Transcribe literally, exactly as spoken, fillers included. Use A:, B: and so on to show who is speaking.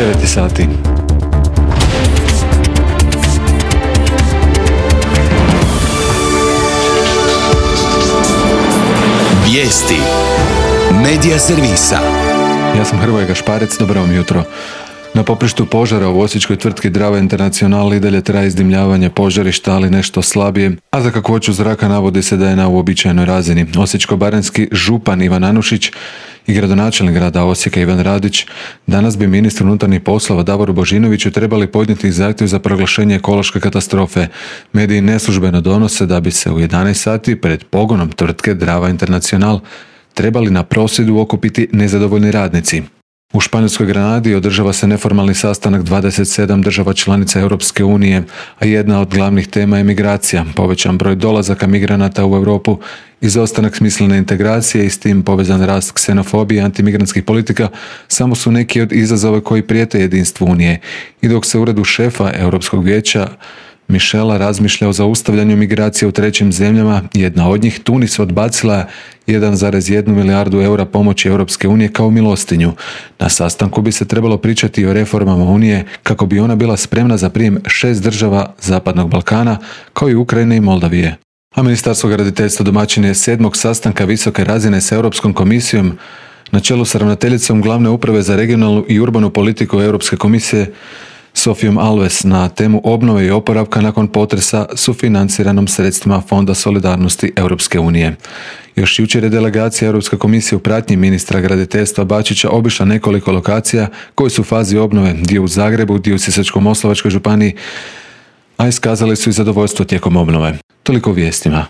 A: devet sati.
B: Vijesti Medija servisa.
A: Ja sam Hrvoje Gašparec, dobro vam jutro. Na poprištu požara u osječkoj tvrtki Drava International i dalje traje izdimljavanje požarišta, ali nešto slabije, a za kakvoću zraka navodi se da je na uobičajenoj razini. Osječko-baranjski župan Ivan Anušić i gradonačelnik grada Osijeka Ivan Radić danas bi ministru unutarnjih poslova Davoru Božinoviću trebali podnijeti zahtjev za proglašenje ekološke katastrofe. Mediji neslužbeno donose da bi se u jedanaest sati pred pogonom tvrtke Drava International trebali na prosvjedu okupiti nezadovoljni radnici. U Španjolskoj Granadi održava se neformalni sastanak dvadeset sedam država članica Europske unije, a jedna od glavnih tema je migracija, povećan broj dolazaka migranata u Europu, izostanak smislene integracije i s tim povezan rast ksenofobije i antimigrantskih politika samo su neki od izazova koji prijete jedinstvu Unije. I dok se u uredu šefa Europskog vijeća Michela razmišlja o zaustavljanju migracije u trećim zemljama, jedna od njih, Tunis, odbacila jedan zarez jedan milijardu eura pomoći Europske unije kao milostinju. Na sastanku bi se trebalo pričati o reformama Unije kako bi ona bila spremna za prijem šest država Zapadnog Balkana, kao i Ukrajine i Moldavije. A Ministarstvo graditeljstva domaćin je sedmog sastanka visoke razine s Europskom komisijom na čelu s ravnateljicom glavne uprave za regionalnu i urbanu politiku Europske komisije Sofijom Alves na temu obnove i oporavka nakon potresa sufinanciranom sredstvima Fonda solidarnosti Europske unije. Još jučer je delegacija Europske komisije u pratnji ministra graditeljstva Bačića obišla nekoliko lokacija koje su u fazi obnove, dio u Zagrebu, dio u Sisačko-moslavačkoj županiji, a iskazali su i zadovoljstvo tijekom obnove. Toliko u vijestima.